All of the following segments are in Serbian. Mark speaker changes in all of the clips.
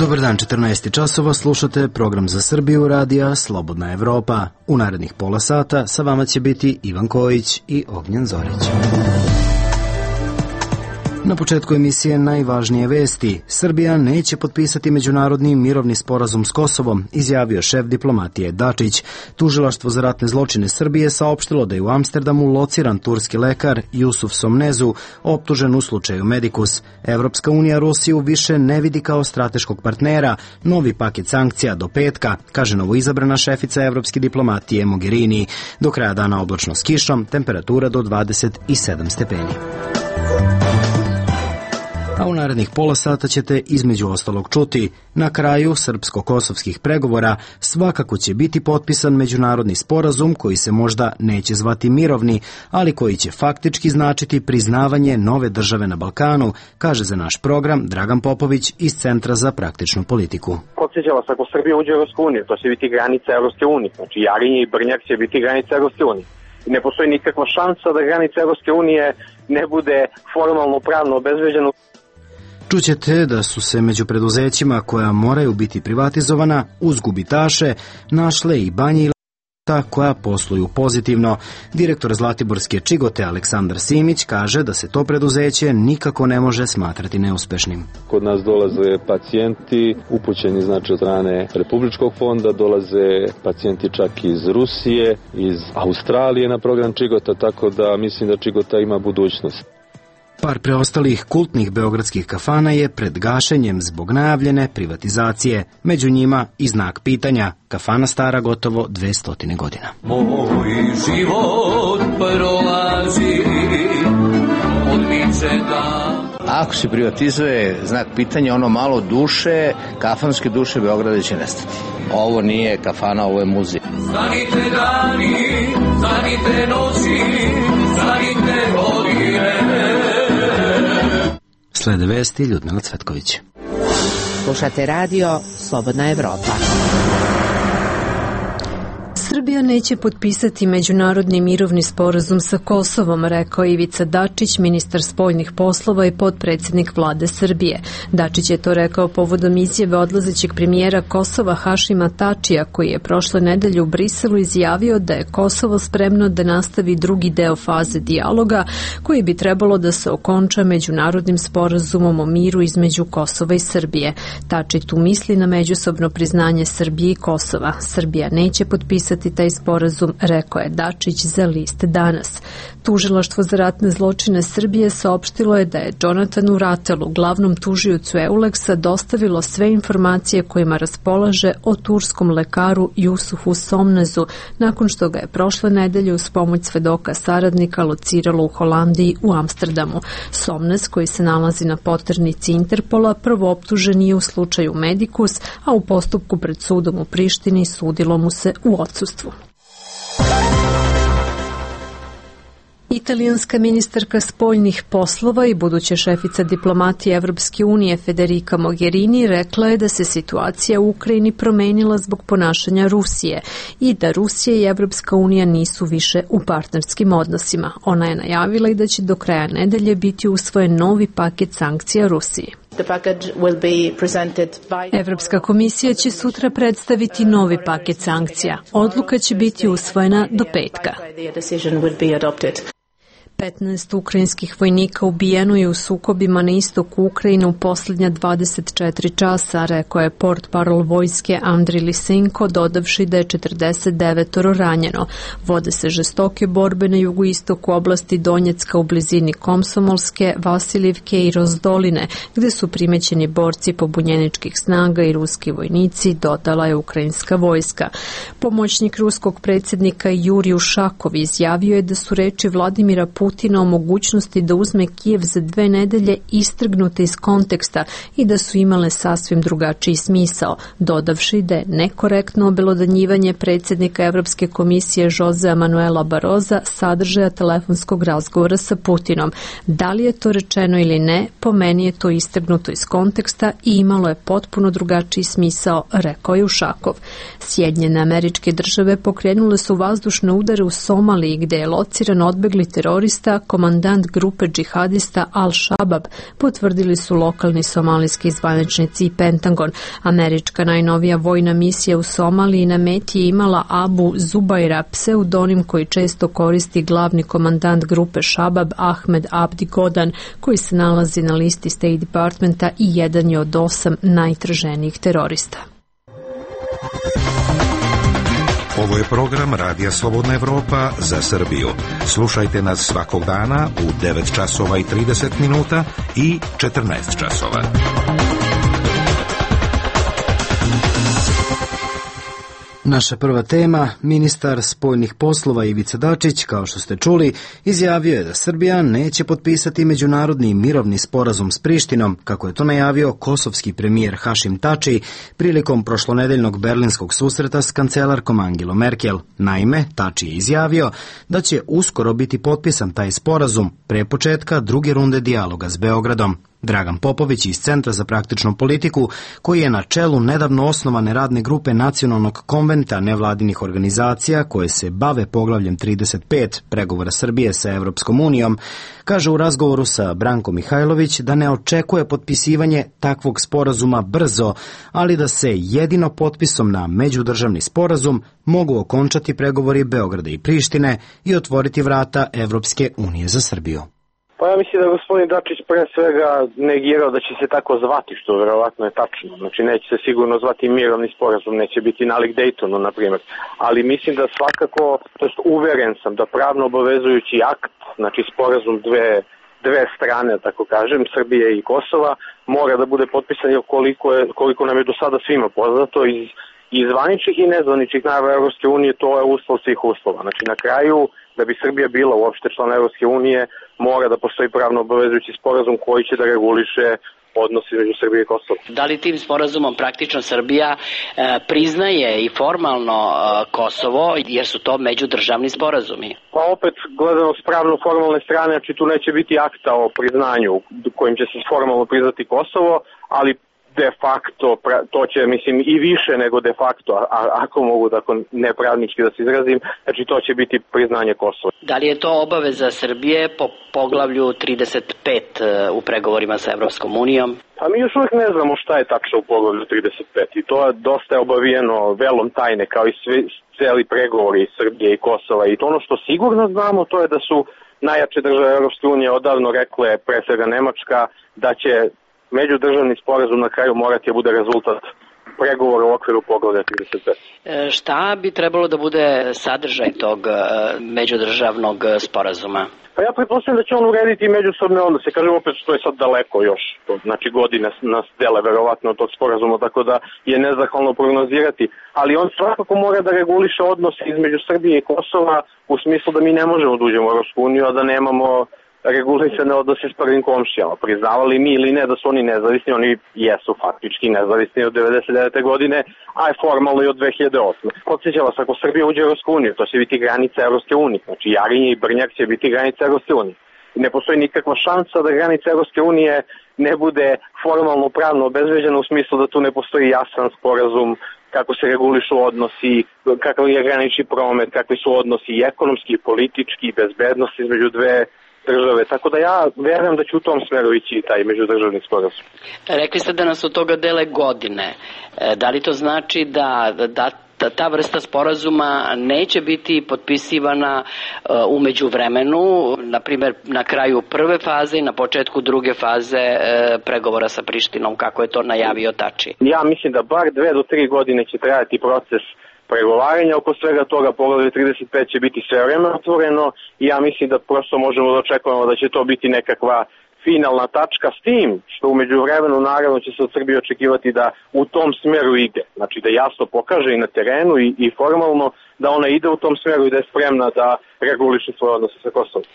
Speaker 1: Dobar dan, 14 časova, slušate program za Srbiju radija Slobodna Evropa. U narednih pola sata sa vama će biti Ivan Kojić i Ognjen Zorić. Na početku emisije najvažnije vesti. Srbija neće potpisati međunarodni mirovni sporazum s Kosovom, izjavio šef diplomatije Dačić. Tužilaštvo za ratne zločine Srbije saopštilo da je u Amsterdamu lociran turski lekar Jusuf Somnezu, optužen u slučaju Medikus. Evropska unija Rusiju više ne vidi kao strateškog partnera. Novi paket sankcija do petka, kaže novoizabrana šefica evropske diplomatije Mogherini. Do kraja dana oblačno s kišom, temperatura do 27 stepeni. A u narednih pola sata ćete između ostalog čuti. Na kraju srpsko-kosovskih pregovora svakako će biti potpisan međunarodni sporazum koji se možda neće zvati mirovni, ali koji će faktički značiti priznavanje nove države na Balkanu, kaže za naš program Dragan Popović iz Centra za praktičnu politiku.
Speaker 2: Podsjeća vas, ako Srbija uđe u Evropsku uniju, to će biti granica Evropske unije. Znači Jarinje i Brnjak će biti granica Evropske unije. Ne postoji nikakva šansa da granica Evropske unije ne bude formalno pravno obezbeđena.
Speaker 1: Čućete da su se među preduzećima koja moraju biti privatizovana uz gubitaše našle i banje i leta koja posluju pozitivno. Direktor Zlatiborske Čigote Aleksandar Simić kaže da se to preduzeće nikako ne može smatrati neuspešnim.
Speaker 3: Kod nas dolaze pacijenti upućeni znači od strane Republičkog fonda, dolaze pacijenti čak iz Rusije, iz Australije na program Čigota, tako da mislim da Čigota ima budućnost.
Speaker 1: Par preostalih kultnih beogradskih kafana je pred gašenjem zbog najavljene privatizacije. Među njima i znak pitanja. Kafana stara gotovo 200 godina.
Speaker 4: Moj život prolazi od miče da...
Speaker 5: Ako se privatizuje znak pitanja, ono malo duše, kafanske duše Beograda će nestati. Ovo nije kafana, ovo je muzej.
Speaker 4: Stanite dani, stanite noći, stanite godine.
Speaker 1: Slede vesti Ljudmila Cvetković.
Speaker 6: Slušate radio Slobodna Evropa.
Speaker 7: Srbija neće potpisati međunarodni mirovni sporazum sa Kosovom, rekao Ivica Dačić, ministar spoljnih poslova i potpredsjednik vlade Srbije. Dačić je to rekao povodom izjave odlazećeg premijera Kosova Hašima Tačija, koji je prošle nedelje u Briselu izjavio da je Kosovo spremno da nastavi drugi deo faze dijaloga, koji bi trebalo da se okonča međunarodnim sporazumom o miru između Kosova i Srbije. Tači tu misli na međusobno priznanje Srbije i Kosova. Srbija neće potpisati taj sporazum, rekao je Dačić za list Danas. Tužilaštvo za ratne zločine Srbije saopštilo je da je Jonatanu Ratelu, glavnom tužiocu Euleksa, dostavilo sve informacije kojima raspolaže o turskom lekaru Jusufu Somnezu, nakon što ga je prošle nedelje uz pomoć svedoka saradnika lociralo u Holandiji u Amsterdamu. Somnez, koji se nalazi na poternici Interpola, prvo optužen je u slučaju Medikus, a u postupku pred sudom u Prištini sudilo mu se u odsustvu. Italijanska ministarka spoljnih poslova i buduća šefica diplomatije Evropske unije Federica Mogherini rekla je da se situacija u Ukrajini promenila zbog ponašanja Rusije i da Rusija i Evropska unija nisu više u partnerskim odnosima. Ona je najavila i da će do kraja nedelje biti usvojen novi paket sankcija Rusiji. Evropska komisija će sutra predstaviti novi paket sankcija. Odluka će biti usvojena do petka. 15 ukrajinskih vojnika ubijeno je u sukobima na istoku Ukrajine u posljednja 24 časa, rekao je portparol vojske Andriy Lysenko, dodavši da je 49 ranjeno. Vode se žestoke borbe na jugoistoku oblasti Donjecka u blizini Komsomolske, Vasilivke i Rozdoline, gde su primećeni borci pobunjeničkih snaga i ruski vojnici, dodala je ukrajinska vojska. Pomoćnik ruskog predsjednika Jurij Ušakov izjavio je da su reči Vladimira Putina o mogućnosti da uzme Kijev za 2 nedelje istrgnute iz konteksta i da su imale sasvim drugačiji smisao, dodavši da je nekorektno obelodanjivanje predsjednika Evropske komisije Josea Manuela Baroza sadržaja telefonskog razgovora sa Putinom. Da li je to rečeno ili ne, po meni je to istrgnuto iz konteksta i imalo je potpuno drugačiji smisao, rekao je Ušakov. Sjedinjene Američke Države pokrenule su vazdušne udare u Somaliji, gde je lociran odbegli terorista terorista, komandant grupe džihadista Al-Shabab, potvrdili su lokalni somalijski zvaničnici i Pentagon. Američka najnovija vojna misija u Somaliji na meti je imala Abu Zubaira, pseudonim koji često koristi glavni komandant grupe Shabab Ahmed Abdi Godan, koji se nalazi na listi State Departmenta i jedan je od 8 najtraženijih terorista.
Speaker 8: Ovo je program Radija Slobodna Evropa za Srbiju. Slušajte nas svakog dana u 9 časova i 30 minuta i 14 časova.
Speaker 1: Naša prva tema, ministar spoljnih poslova Ivica Dačić, kao što ste čuli, izjavio je da Srbija neće potpisati međunarodni mirovni sporazum s Prištinom, kako je to najavio kosovski premijer Hašim Tači prilikom prošlonedeljnog berlinskog susreta s kancelarkom Angelom Merkel. Naime, Tači je izjavio da će uskoro biti potpisan taj sporazum pre početka druge runde dijaloga s Beogradom. Dragan Popović iz Centra za praktičnu politiku, koji je na čelu nedavno osnovane radne grupe Nacionalnog konventa nevladinih organizacija koje se bave poglavljem 35 pregovora Srbije sa Evropskom unijom, kaže u razgovoru sa Brankom Mihajlović da ne očekuje potpisivanje takvog sporazuma brzo, ali da se jedino potpisom na međudržavni sporazum mogu okončati pregovori Beograda i Prištine i otvoriti vrata Evropske unije za Srbiju.
Speaker 2: Pa ja mislim da gospodin Dačić pre svega negirao da će se tako zvati, što verovatno je tačno. Znači neće se sigurno zvati mirovni sporazum, neće biti nalik Daytonu, na primjer. Ali mislim da svakako, to jest uveren sam da pravno obavezujući akt, znači sporazum dve strane, tako kažem, Srbije i Kosova, mora da bude potpisan, jer koliko nam je do sada svima poznato iz zvaničnih i nezvaničnih najava Evropske unije, to je uslov svih uslova. Znači na kraju, da bi Srbija bila uopšte član Evropske unije, mora da postoji pravno obavezujući sporazum koji će da reguliše odnos između Srbije i Kosova.
Speaker 9: Da li tim sporazumom praktično Srbija priznaje i formalno Kosovo, jer su to međudržavni sporazumi?
Speaker 2: Pa opet, gledano s pravno-formalne strane, znači tu neće biti akta o priznanju kojim će se formalno priznati Kosovo, ali de facto, to će, mislim, i više nego de facto, ako mogu tako nepravnički da se izrazim, znači to će biti priznanje Kosova.
Speaker 9: Da li je to obaveza Srbije po poglavlju 35 u pregovorima sa Evropskom unijom?
Speaker 2: Pa mi još uvijek ne znamo šta je tačno u poglavlju 35 i to je dosta obavijeno velom tajne, kao i cijeli pregovori Srbije i Kosova. I to ono što sigurno znamo, to je da su najjače države Evropske unije odavno rekle, pre svega Nemačka, da će međudržavni sporazum na kraju morati da bude rezultat pregovora u okviru poglavlja 35.
Speaker 9: Šta bi trebalo da bude sadržaj tog međudržavnog sporazuma?
Speaker 2: Pa ja pretpostavljam da će on urediti međusobne odnose. Kažem opet što je sad daleko još. Znači godine nas dele verovatno od tog sporazuma, tako da je nezahvalno prognozirati. Ali on svakako mora da reguliše odnose između Srbije i Kosova u smislu da mi ne možemo da uđemo u Evropsku uniju, a da nemamo regulisane odnose s prvim komšijama. Priznavali mi ili ne da su oni nezavisni, oni jesu faktički nezavisni od 1999. godine, a je formalno i od 2008. Podsjećam vas, ako Srbija uđe u Evropsku uniju, to će biti granica Evropske unije. Znači Jarinje i Brnjak će biti granica Evropske unije. Ne postoji nikakva šansa da granica Evropske unije ne bude formalno pravno obezbeđena u smislu da tu ne postoji jasan sporazum kako se regulišu odnosi, kakav je granični promet, kakvi su odnosi i ekonomski, i politički, i bezbednosti između dve države. Tako da ja verujem da će u tom smeru ići taj međudržavni sporazum.
Speaker 9: Rekli ste da nas od toga dele godine. Da li to znači da ta vrsta sporazuma neće biti potpisivana u međuvremenu, na primjer na kraju prve faze i na početku druge faze pregovora sa Prištinom, kako je to najavio Tači?
Speaker 2: Ja mislim da bar 2 do 3 godine će trajati proces pregovaranja oko svega toga. Poglavlje 35 će biti sve vreme otvoreno i ja mislim da prosto možemo da očekujemo da će to biti nekakva finalna tačka, s tim što umeđu vremenu naravno će se od Srbije očekivati da u tom smeru ide. Znači da jasno pokaže i na terenu i formalno da ona ide u tom smeru i da je spremna da reguliše svoje odnose sa Kosovom.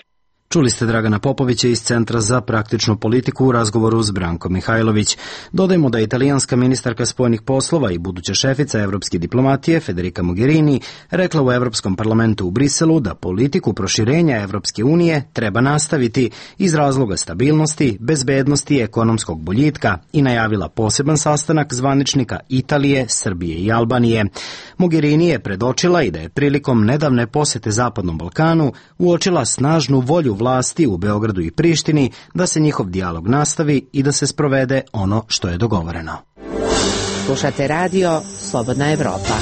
Speaker 1: Čuli ste Dragana Popovića iz Centra za praktičnu politiku u razgovoru s Brankom Mihajlović. Dodajmo da je italijanska ministarka spoljnih poslova i buduća šefica evropske diplomatije Federica Mogherini rekla u Evropskom parlamentu u Briselu da politiku proširenja Evropske unije treba nastaviti iz razloga stabilnosti, bezbednosti i ekonomskog boljitka i najavila poseban sastanak zvaničnika Italije, Srbije i Albanije. Mogherini je predočila i da je prilikom nedavne posete Zapadnom Balkanu uočila snažnu volju vlasti u Beogradu i Prištini da se njihov dijalog nastavi i da se sprovede ono što je dogovoreno.
Speaker 6: Slušate radio Slobodna Evropa.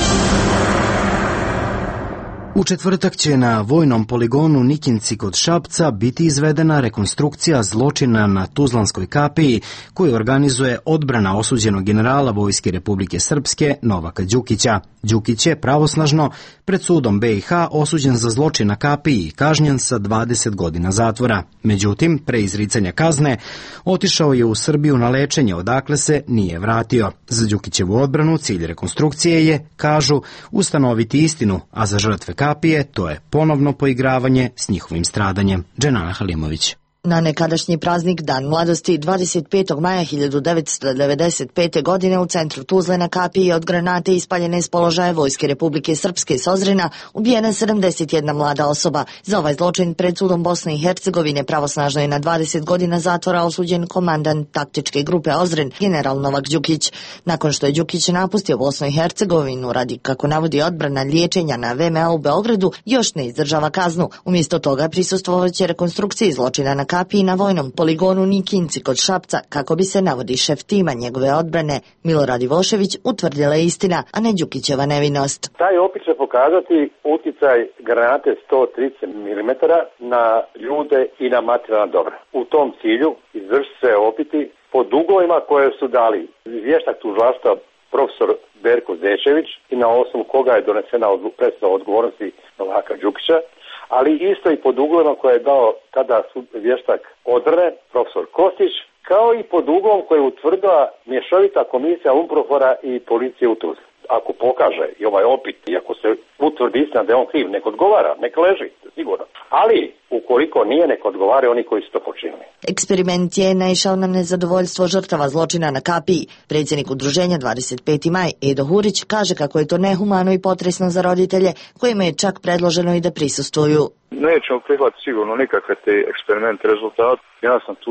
Speaker 1: U četvrtak će na vojnom poligonu Nikinci kod Šapca biti izvedena rekonstrukcija zločina na Tuzlanskoj kapiji koju organizuje odbrana osuđenog generala Vojske Republike Srpske Novaka Đukića. Đukić je pravosnažno pred sudom BiH osuđen za zločin na kapiji i kažnjen sa 20 godina zatvora. Međutim, pre izricanja kazne, otišao je u Srbiju na lečenje, odakle se nije vratio. Za Đukićevu odbranu cilj rekonstrukcije je, kažu, ustanoviti istinu, a za žrtve kapije to je ponovno poigravanje s njihovim stradanjem. Dženana Halimović.
Speaker 10: Na nekadašnji praznik Dan mladosti 25. maja 1995. godine u centru Tuzle na kapiji od granate ispaljene s položaja Vojske Republike Srpske iz Ozrena ubijena 71 mlada osoba. Za ovaj zločin pred sudom Bosne i Hercegovine pravosnažno je na 20 godina zatvora osuđen komandant taktičke grupe Ozren, general Novak Đukić. Nakon što je Đukić napustio Bosnu i Hercegovinu radi, kako navodi odbrana, liječenja na VMA u Beogradu, još ne izdržava kaznu. Umjesto toga prisustvovaće rekonstrukciji zločina na kapiji na vojnom poligonu Nikinci kod Šapca, kako bi se, navodi šef tima njegove odbrane Milorad Ivošević, utvrdila istina, a ne Đukićeva nevinost.
Speaker 11: Taj opis će pokazati uticaj granate 130 mm na ljude i na materijalna dobra. U tom cilju izvršiti se opiti po dugovima koje su dali vještak tužilaštva profesor Berko Zečević i na osnovu koga je donesena presuda o odgovornosti Novaka Đukića, ali isto i pod uglovima koje je dao tada vještak odbrane, profesor Kostić, kao i pod uglom koje je utvrdila mješovita komisija UNPROFOR-a i policije u Tuzli. Ako pokaže i ovaj opit, i ako se utvrdi istina da je on kriv, nek odgovara, nek leži, sigurno. Ali, ukoliko nije, nek odgovare oni koji su to počinili.
Speaker 10: Eksperiment je naišao na nezadovoljstvo žrtava zločina na kapiji. Predsjednik udruženja 25. maj Edo Hurić kaže kako je to nehumano i potresno za roditelje, kojima je čak predloženo i da prisustvuju.
Speaker 12: Nećemo prihvatiti sigurno nikakve te eksperiment rezultat. Ja sam tu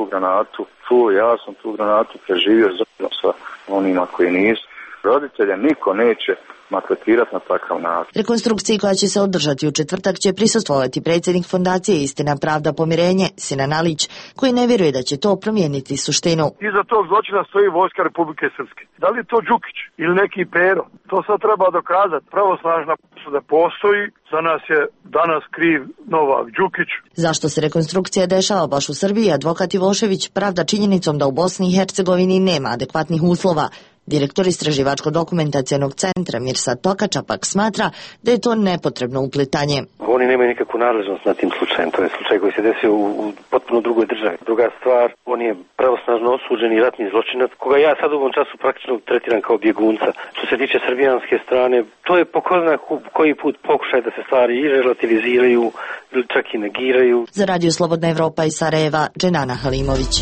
Speaker 12: granatu preživio zajedno sa onima koji nisu. Roditelja niko neće maltretirati na takav način.
Speaker 10: Rekonstrukciji koja će se održati u četvrtak će prisustvovati predsjednik Fondacije Istina, Pravda, Pomirenje, Sinan Alić, koji ne vjeruje da će to promijeniti suštinu.
Speaker 13: Iza tog zločina stoji Vojska Republike Srpske. Da li je to Đukić ili neki Pero? To sad treba dokazati. Pravosnažna presuda postoji, za nas je danas kriv Novak Đukić.
Speaker 10: Zašto se rekonstrukcija dešava baš u Srbiji, advokat Ivošević pravda činjenicom da u Bosni i Hercegovini nema adekvatnih uslova. Direktor Istraživačko-dokumentacijenog centra Mirsad Tokača pak smatra da je to nepotrebno uplitanje.
Speaker 14: Oni nemaju nikakvu nadležnost nad tim slučajem, to je slučaj koji se desio u potpuno drugoj državi. Druga stvar, on je pravosnažno osuđeni ratni zločinac, koga ja sad u ovom času praktično tretiram kao bjegunca. Što se tiče srbijanske strane, to je po ko zna koji put pokušaj da se stvari i relativiziraju ili čak i negiraju.
Speaker 10: Za Radio Slobodna Evropa iz Sarajeva, Dženana Halimović.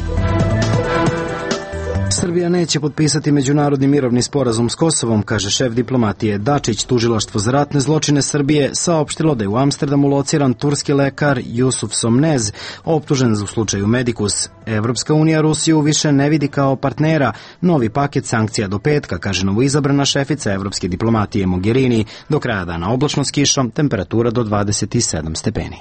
Speaker 1: Srbija neće potpisati međunarodni mirovni sporazum s Kosovom, kaže šef diplomatije Dačić. Tužilaštvo za ratne zločine Srbije saopštilo da je u Amsterdamu lociran turski lekar Jusuf Somnez, optužen u slučaju Medikus. Evropska unija Rusiju više ne vidi kao partnera. Novi paket sankcija do petka, kaže novoizabrana šefica evropske diplomatije Mogherini. Do kraja dana oblačno s kišom, temperatura do 27 stepeni.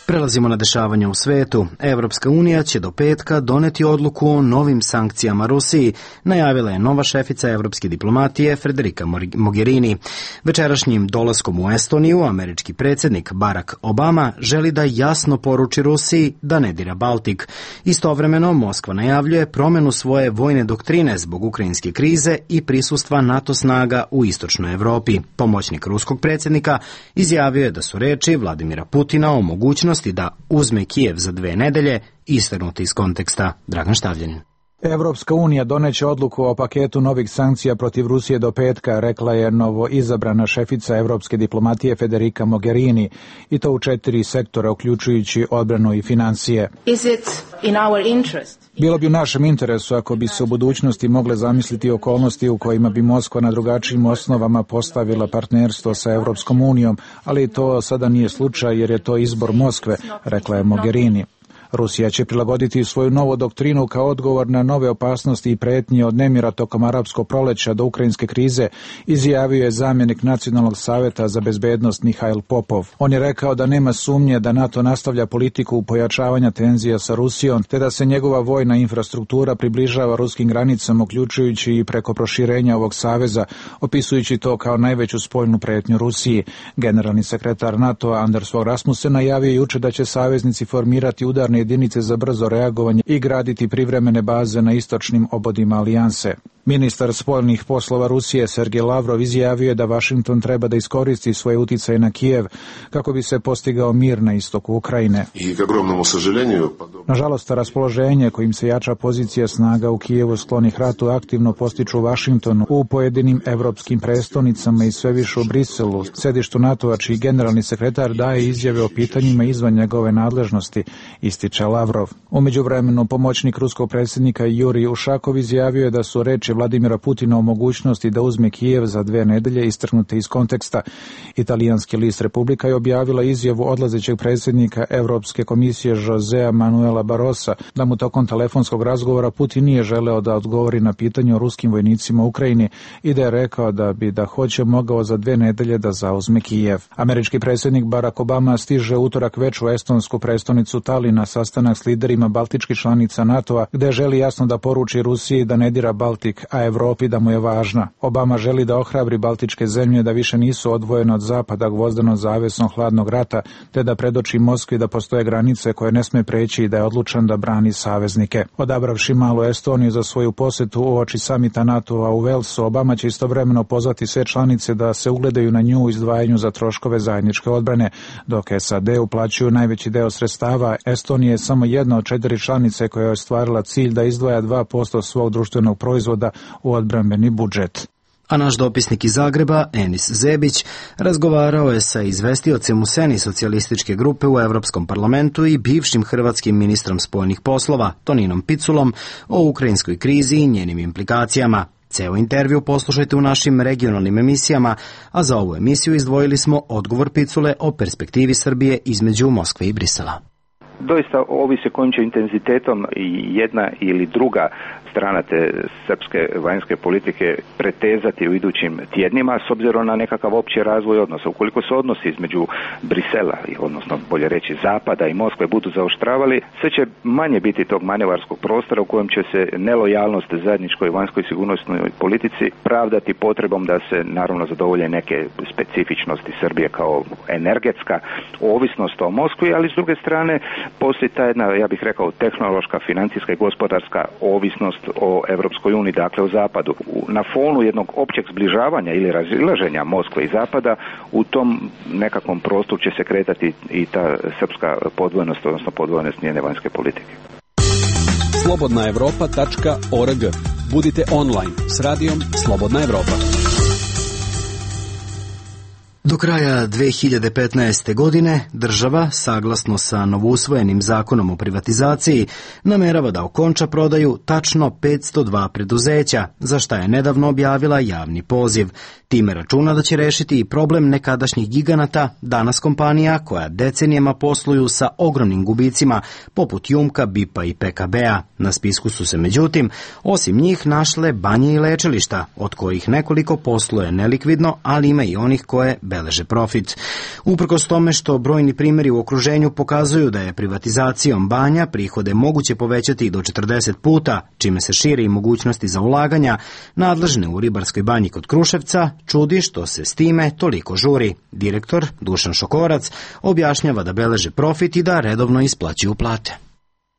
Speaker 1: Prelazimo na dešavanja u svetu. Evropska unija će do petka doneti odluku o novim sankcijama Rusiji, najavila je nova šefica evropske diplomatije Federica Mogherini. Večerašnjim dolaskom u Estoniju američki predsjednik Barack Obama želi da jasno poruči Rusiji da ne dira Baltik. Istovremeno Moskva najavljuje promjenu svoje vojne doktrine zbog ukrajinske krize i prisustva NATO snaga u istočnoj Evropi. Pomoćnik ruskog predsjednika izjavio je da su reči Vladimira Putina o mogućnosti da uzme Kijev za 2 nedelje istrgnuti iz konteksta. Dragan Štavljanin.
Speaker 15: Evropska unija doneće odluku o paketu novih sankcija protiv Rusije do petka, rekla je novo izabrana šefica evropske diplomatije Federica Mogherini, i to u 4 sektora, uključujući odbranu i financije. Bilo bi u našem interesu ako bi se u budućnosti mogle zamisliti okolnosti u kojima bi Moskva na drugačijim osnovama postavila partnerstvo sa Evropskom unijom, ali to sada nije slučaj jer je to izbor Moskve, rekla je Mogherini. Rusija će prilagoditi svoju novu doktrinu kao odgovor na nove opasnosti i pretnje od nemira tokom arapskog proleća do ukrajinske krize, izjavio je zamjenik Nacionalnog saveta za bezbednost Mihajl Popov. On je rekao da nema sumnje da NATO nastavlja politiku pojačavanja tenzija sa Rusijom, te da se njegova vojna infrastruktura približava ruskim granicama, uključujući i preko proširenja ovog saveza, opisujući to kao najveću spoljnu pretnju Rusiji. Generalni sekretar NATO-a Anders Fogh Rasmussen najavio juče da će saveznici formirati udarne jedinice za brzo reagovanje i graditi privremene baze na istočnim obodima alijanse. Ministar spoljnih poslova Rusije Sergej Lavrov izjavio je da Vašington treba da iskoristi svoje uticaje na Kijev kako bi se postigao mir na istoku Ukrajine. Nažalost, raspoloženje kojim se jača pozicija snaga u Kijevu sklonih ratu aktivno postiču u Vašingtonu, u pojedinim evropskim prestonicama i sve više u Briselu, sedištu NATO-a, čiji generalni sekretar daje izjave o pitanjima izvan njegove nadležnosti, ističe Lavrov. U međuvremenu, pomoćnik ruskog predsjednika Jurij Ušakov izjavio je da su reči Vladimira Putina o mogućnosti da uzme Kijev za 2 nedelje istrgnute iz konteksta. Italijanski list Republika je objavila izjavu odlazećeg predsjednika Evropske komisije Josea Manuela Barrosa da mu tokom telefonskog razgovora Putin nije želeo da odgovori na pitanje o ruskim vojnicima u Ukrajini i da je rekao da bi da hoće mogao za 2 nedelje da zauzme Kijev. Američki predsjednik Barack Obama stiže utorak večer u estonsku prestonicu Tallinn na sastanak s liderima baltičkih članica NATO-a, gde želi jasno da poruči Rusiji da ne dira Baltik, a Evropi da mu je važna. Obama želi da ohrabri baltičke zemlje da više nisu odvojene od zapada gvozdenom zavesom hladnog rata, te da predoči Moskvi da postoje granice koje ne sme preći i da je odlučan da brani saveznike. Odabravši malu Estoniju za svoju posetu uoči samita NATO-a u Velsu, Obama će istovremeno pozvati sve članice da se ugledaju na nju u izdvajanju za troškove zajedničke odbrane. Dok SAD uplaćuju najveći deo sredstava, Estonija je samo jedna od 4 članice koja je ostvarila cilj da izdvaja 2% svog društvenog proizvoda u odbrambeni budžet.
Speaker 1: A naš dopisnik iz Zagreba, Enis Zebić, razgovarao je sa izvestiocem u seni socijalističke grupe u Evropskom parlamentu i bivšim hrvatskim ministrom spoljnih poslova, Toninom Piculom, o ukrajinskoj krizi i njenim implikacijama. Ceo intervju poslušajte u našim regionalnim emisijama, a za ovu emisiju izdvojili smo odgovor Picule o perspektivi Srbije između Moskve i Brisela.
Speaker 16: Doista ovisi kojim će intenzitetom jedna ili druga strana te srpske vanjske politike pretezati u idućim tjednima s obzirom na nekakav opći razvoj odnosa. Ukoliko se odnosi između Brisela, odnosno bolje reći Zapada i Moskve, budu zaoštravali, sve će manje biti tog manevarskog prostora u kojem će se nelojalnost zajedničkoj vanjskoj sigurnosnoj politici pravdati potrebom da se naravno zadovolje neke specifičnosti Srbije kao energetska ovisnost o Moskvi, ali s druge strane postoji ta jedna, ja bih rekao, tehnološka, financijska i gospodarska ovisnost o Evropskoj uniji, dakle o Zapadu. Na fonu jednog općeg zbližavanja ili razilaženja Moskve i Zapada, u tom nekakvom prostoru će se kretati i ta srpska podvojenost, odnosno podvojenost njene vanjske politike.
Speaker 17: slobodnaevropa.org. Budite online s radijom Slobodna Evropa.
Speaker 1: Do kraja 2015. godine država, saglasno sa novousvojenim zakonom o privatizaciji, namerava da okonča prodaju tačno 502 preduzeća, za šta je nedavno objavila javni poziv. Time računa da će rešiti i problem nekadašnjih giganata, danas kompanija koja decenijama posluju sa ogromnim gubicima, poput Jumka, BIP-a i PKB-a. Na spisku su se međutim, osim njih, našle banje i lečilišta, od kojih nekoliko posluje nelikvidno, ali ima i onih koje beleže profit. Uprkos tome što brojni primjeri u okruženju pokazuju da je privatizacijom banja prihode moguće povećati do 40 puta, čime se širi i mogućnosti za ulaganja, nadležne u ribarskoj banji kod Kruševca čudi što se s time toliko žuri. Direktor Dušan Šokorac objašnjava da beleže profit i da redovno isplaćuju plate.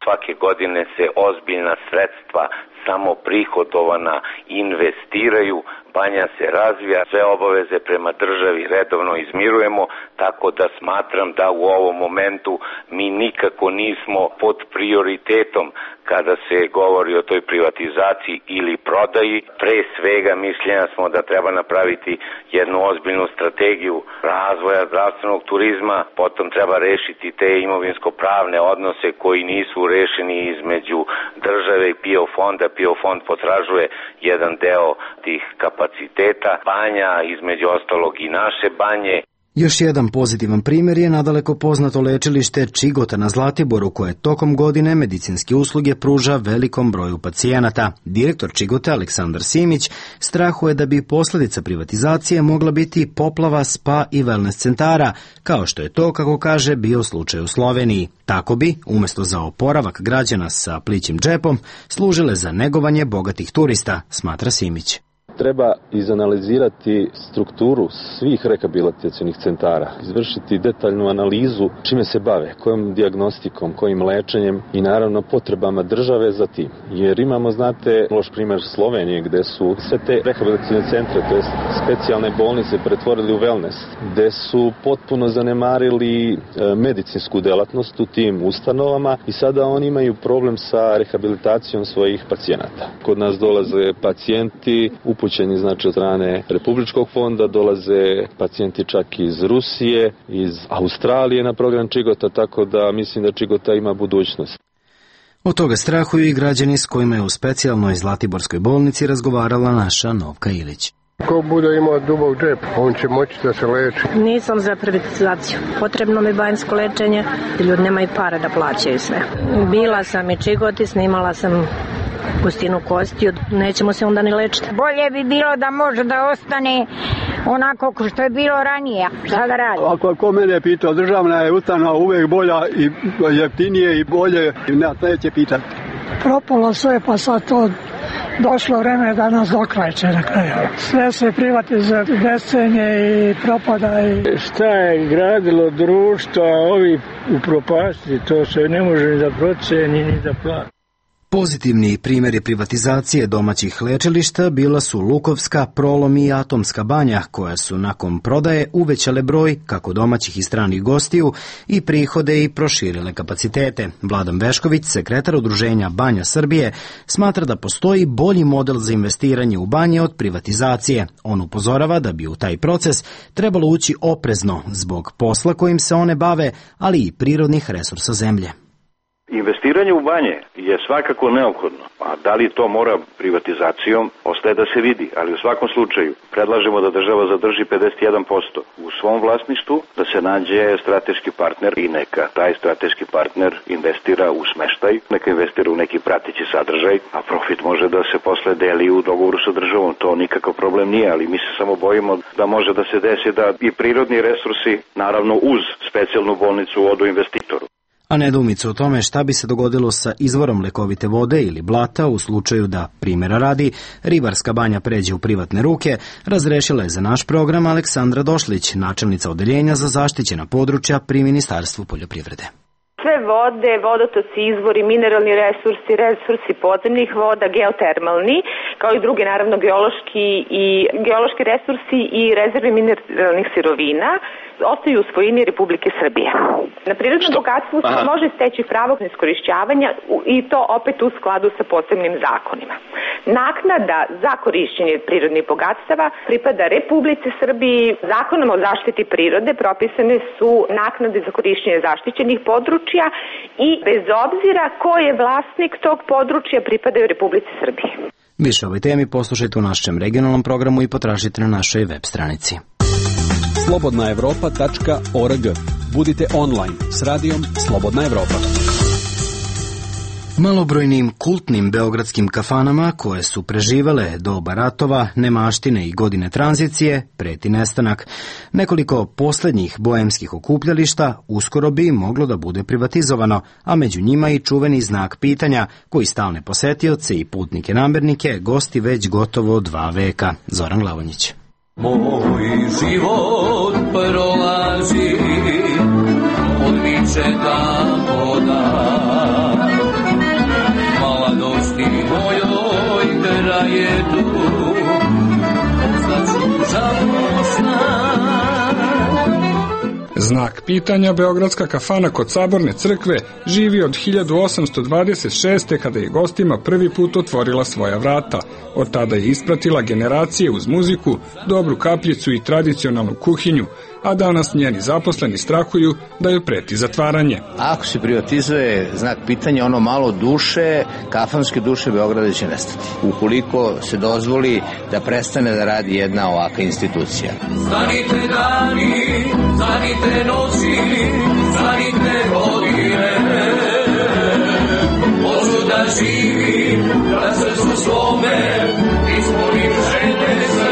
Speaker 18: Svake godine se ozbiljna sredstva samo prihodovana investiraju, banja se razvija, sve obaveze prema državi redovno izmirujemo, tako da smatram da u ovom momentu mi nikako nismo pod prioritetom kada se govori o toj privatizaciji ili prodaji. Pre svega mišljenja smo da treba napraviti jednu ozbiljnu strategiju razvoja zdravstvenog turizma, potom treba rešiti te imovinsko-pravne odnose koji nisu rešeni između države i PIO fonda. PIO fond potražuje jedan deo tih kapaciteta banja, između ostalog i naše banje.
Speaker 1: Još jedan pozitivan primjer je nadaleko poznato lečilište Čigota na Zlatiboru, koje tokom godine medicinske usluge pruža velikom broju pacijenata. Direktor Čigota Aleksandar Simić strahuje da bi posljedica privatizacije mogla biti poplava spa i wellness centara, kao što je to, kako kaže, bio slučaj u Sloveniji. Tako bi, umjesto za oporavak građana sa plićim džepom, služile za negovanje bogatih turista, smatra Simić.
Speaker 3: Treba izanalizirati strukturu svih rehabilitacionih centara, izvršiti detaljnu analizu čime se bave, kojom dijagnostikom, kojim lečenjem i naravno potrebama države za tim. Jer imamo, znate, loš primjer Slovenije gdje su sve te rehabilitacione centre, to jest specijalne bolnice, pretvorili u wellness, gdje su potpuno zanemarili medicinsku delatnost u tim ustanovama i sada oni imaju problem sa rehabilitacijom svojih pacijenata. Kod nas dolaze pacijenti upućeni, znači, od strane Republičkog fonda, dolaze pacijenti čak iz Rusije, iz Australije na program Čigota, tako da mislim da Čigota ima budućnost.
Speaker 1: Od toga strahuju i građani s kojima je u specijalnoj Zlatiborskoj bolnici razgovarala naša Novka Ilić.
Speaker 19: Ko bude imao dubok džep, on će moći da se leči.
Speaker 20: Nisam za privatizaciju. Potrebno mi banjsko lečenje, ljudi nemaju para da plaćaju sve. Bila sam i Čigoti, snimala sam gustinu kostiju, nećemo se onda ni lečiti.
Speaker 21: Bolje bi bilo da može da ostane onako što je bilo ranije. Šta da radi?
Speaker 22: Ako mene pita, državna je ustanova uvek bolja i jeftinije i bolje, neće pitati.
Speaker 23: Propalo sve, pa sad to došlo vreme da nas dokrajče na kraju. Sve se privatizuje, decenje i propada.
Speaker 24: Šta je gradilo društvo, a ovi upropasti, to se ne može ni da proceni ni da plati.
Speaker 1: Pozitivni primjeri privatizacije domaćih lečilišta bila su Lukovska, Prolom i Atomska banja, koja su nakon prodaje uvećale broj kako domaćih i stranih gostiju i prihode i proširile kapacitete. Vladan Vešković, sekretar Udruženja Banja Srbije, smatra da postoji bolji model za investiranje u banje od privatizacije. On upozorava da bi u taj proces trebalo ući oprezno zbog posla kojim se one bave, ali i prirodnih resursa zemlje.
Speaker 25: Investiranje u banje je svakako neophodno, a da li to mora privatizacijom, ostaje da se vidi, ali u svakom slučaju predlažemo da država zadrži 51% u svom vlasništvu, da se nađe strateški partner i neka taj strateški partner investira u smeštaj, neka investira u neki prateći sadržaj, a profit može da se posle deli u dogovoru sa državom, to nikakav problem nije, ali mi se samo bojimo da može da se desi da i prirodni resursi, naravno uz specijalnu bolnicu, odu investitoru.
Speaker 1: A nedoumicu o tome šta bi se dogodilo sa izvorom lekovite vode ili blata u slučaju da, primjera radi, ribarska banja pređe u privatne ruke, razrešila je za naš program Aleksandra Došlić, načelnica odeljenja za zaštićena područja pri Ministarstvu poljoprivrede.
Speaker 26: Sve vode, vodotoci, izvori, mineralni resursi podzemnih voda, geotermalni, kao i drugi, naravno, geološki resursi i rezerve mineralnih sirovina ostaju u svojini Republike Srbije. Na prirodnom bogatstvu se može steći pravo na iskorišćavanja i to opet u skladu sa posebnim zakonima. Naknada za korišćenje prirodnih bogatstava pripada Republici Srbiji. Zakonom o zaštiti prirode propisane su naknade za korišćenje zaštićenih područja i bez obzira ko je vlasnik tog područja pripadaju Republici Srbiji.
Speaker 1: Više o ovoj temi poslušajte u našem regionalnom programu i potražite na našoj web stranici.
Speaker 17: slobodnaevropa.org. Budite online s radijom Slobodna Evropa.
Speaker 1: Malobrojnim kultnim beogradskim kafanama koje su preživele doba ratova, nemaštine i godine tranzicije preti nestanak. Nekoliko posljednjih boemskih okupljališta uskoro bi moglo da bude privatizovano, a među njima i čuveni znak pitanja koji stalne posetioce i putnike namernike gosti već gotovo 2 veka. Zoran Glavonjić.
Speaker 4: Moj život prolazi, odmiče tako da mladosti mojoj traje tu, ostaću žalosna.
Speaker 27: Znak pitanja beogradska kafana kod Saborne crkve živi od 1826. kada je gostima prvi put otvorila svoja vrata. Od tada je ispratila generacije uz muziku, dobru kapljicu i tradicionalnu kuhinju. a danas njeni zaposleni strahuju da joj preti zatvaranje.
Speaker 2: Ako se privatizuje, znak pitanja, ono malo duše, kafanske duše Beograda će nestati. Ukoliko se dozvoli da prestane da radi jedna ovakva institucija.
Speaker 4: Stanite dani, stanite noći, stanite godine, hoću da živim, da srcu svome ispunim želje sve.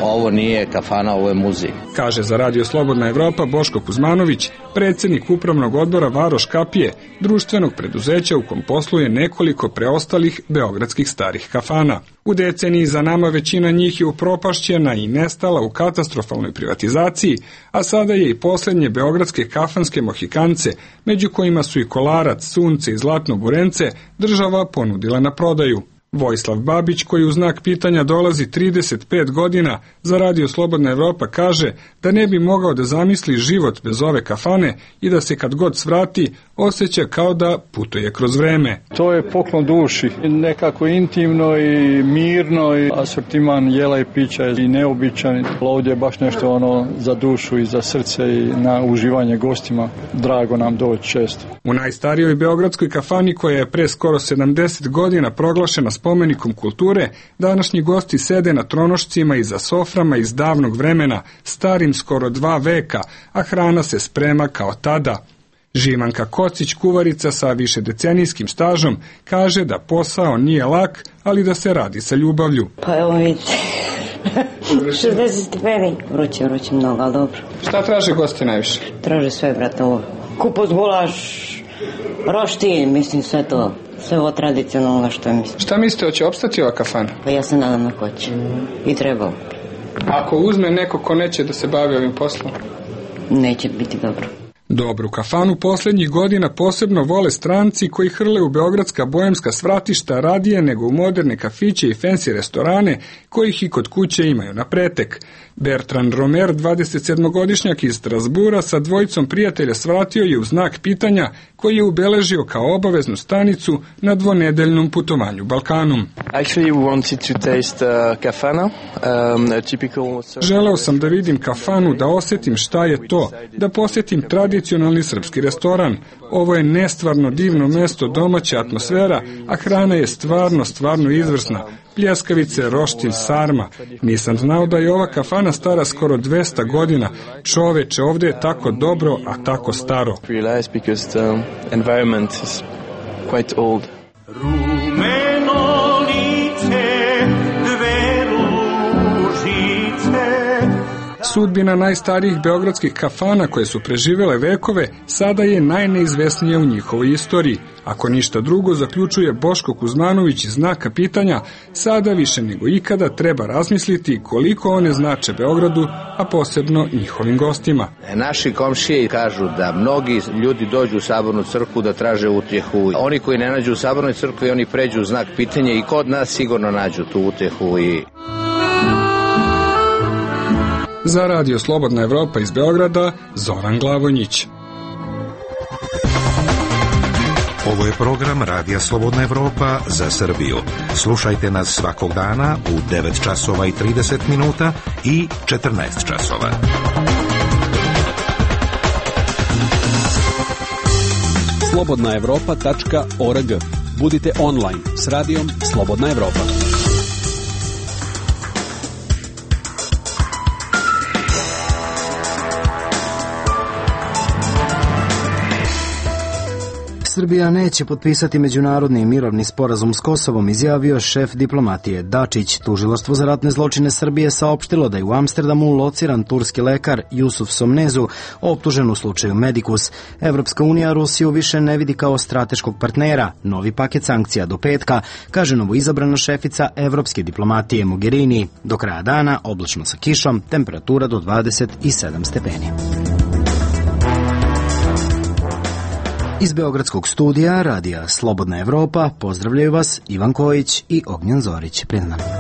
Speaker 2: Ovo nije kafana, ovo je muzej.
Speaker 27: Kaže za Radio Slobodna Evropa Boško Kuzmanović, predsjednik upravnog odbora Varoš Kapije, društvenog preduzeća u kom posluje nekoliko preostalih beogradskih starih kafana. U deceniji za nama većina njih je upropašćena i nestala u katastrofalnoj privatizaciji, a sada je i posljednje beogradske kafanske mohikance, među kojima su i Kolarac, Sunce i Zlatno Burence, država ponudila na prodaju. Vojislav Babić, koji u znak pitanja dolazi 35 godina, za Radio Slobodna Evropa kaže da ne bi mogao da zamisli život bez ove kafane i da se kad god svrati osjeća kao da putuje kroz vreme.
Speaker 22: To je poklon duši, nekako intimno i mirno, i asortiman jela i pića je i neobičan. Ovdje je baš nešto ono za dušu i za srce i na uživanje gostima. Drago nam doći često.
Speaker 27: U najstarijoj beogradskoj kafani, koja je pre skoro 70 godina proglašena spomenikom kulture, današnji gosti sede na tronošcima i za soframa iz davnog vremena, starim skoro 2 veka, a hrana se sprema kao tada. Živanka Kocić, kuvarica sa višedecenijskim stažom, kaže da posao nije lak, ali da se radi sa ljubavlju.
Speaker 5: Pa evo vidite, 60 stepeni. Vruće mnogo, ali dobro.
Speaker 27: Šta traže gosti najviše?
Speaker 5: Traže sve, brate, ovo. Kupus, gulaš, roštilj, mislim sve to. Sve ovo tradicionalno što mislim.
Speaker 27: Šta mislite, hoće opstati ova kafana?
Speaker 5: Pa ja se nadam na hoće. I trebalo.
Speaker 27: Ako uzme neko ko neće da se bavi ovim poslom?
Speaker 5: Neće biti dobro.
Speaker 27: Dobru kafanu posljednjih godina posebno vole stranci koji hrle u beogradska boemska svratišta radije nego u moderne kafiće i fancy restorane kojih i kod kuće imaju na pretek. Bertrand Romer, 27-godišnjak iz Strasbura, sa dvojicom prijatelja svratio je u znak pitanja koji je ubeležio kao obaveznu stanicu na dvonedeljnom putovanju Balkanom. Želeo sam da vidim kafanu, da osjetim šta je to, da posjetim tradicionalni srpski restoran. Ovo je nestvarno divno mesto, domaća atmosfera, a hrana je stvarno izvrsna. Pljeskavice, roštilj, sarma. Nisam znao da je ova kafana stara skoro 200 godina. Čoveče, ovdje je tako dobro, a tako staro.
Speaker 4: Rumeno lice, dve ružice.
Speaker 27: Sudbina najstarijih beogradskih kafana koje su preživele vekove sada je najneizvesnija u njihovoj istoriji. Ako ništa drugo, zaključuje Boško Kuzmanović iz znaka pitanja, sada više nego ikada treba razmisliti koliko one znače Beogradu, a posebno njihovim gostima.
Speaker 2: Naši komšije kažu da mnogi ljudi dođu u Sabornu crkvu da traže utjehu. Oni koji ne nađu u Sabornoj crkvi, oni pređu u znak pitanja i kod nas sigurno nađu tu utjehu.
Speaker 27: Za Radio Slobodna Evropa iz Beograda, Zoran Glavonjić.
Speaker 6: Ovo je program Radija Slobodna Evropa za Srbiju. Slušajte nas svakog dana u 9 časova i 30 minuta i 14 časova.
Speaker 17: slobodnaevropa.org. Budite online s radijom Slobodna Evropa.
Speaker 1: Srbija neće potpisati međunarodni mirovni sporazum s Kosovom, izjavio šef diplomatije Dačić. Tužilaštvo za ratne zločine Srbije saopštilo da je u Amsterdamu lociran turski lekar Jusuf Somnezu, optužen u slučaju Medikus. Evropska unija Rusiju više ne vidi kao strateškog partnera. Novi paket sankcija do petka, kaže novoizabrana šefica evropske diplomatije Mogherini. Do kraja dana oblačno sa kišom, temperatura do 27 stepeni. Iz beogradskog studija Radija Slobodna Evropa pozdravljaju vas Ivan Kojić i Ognjen Zorić. Pred nama.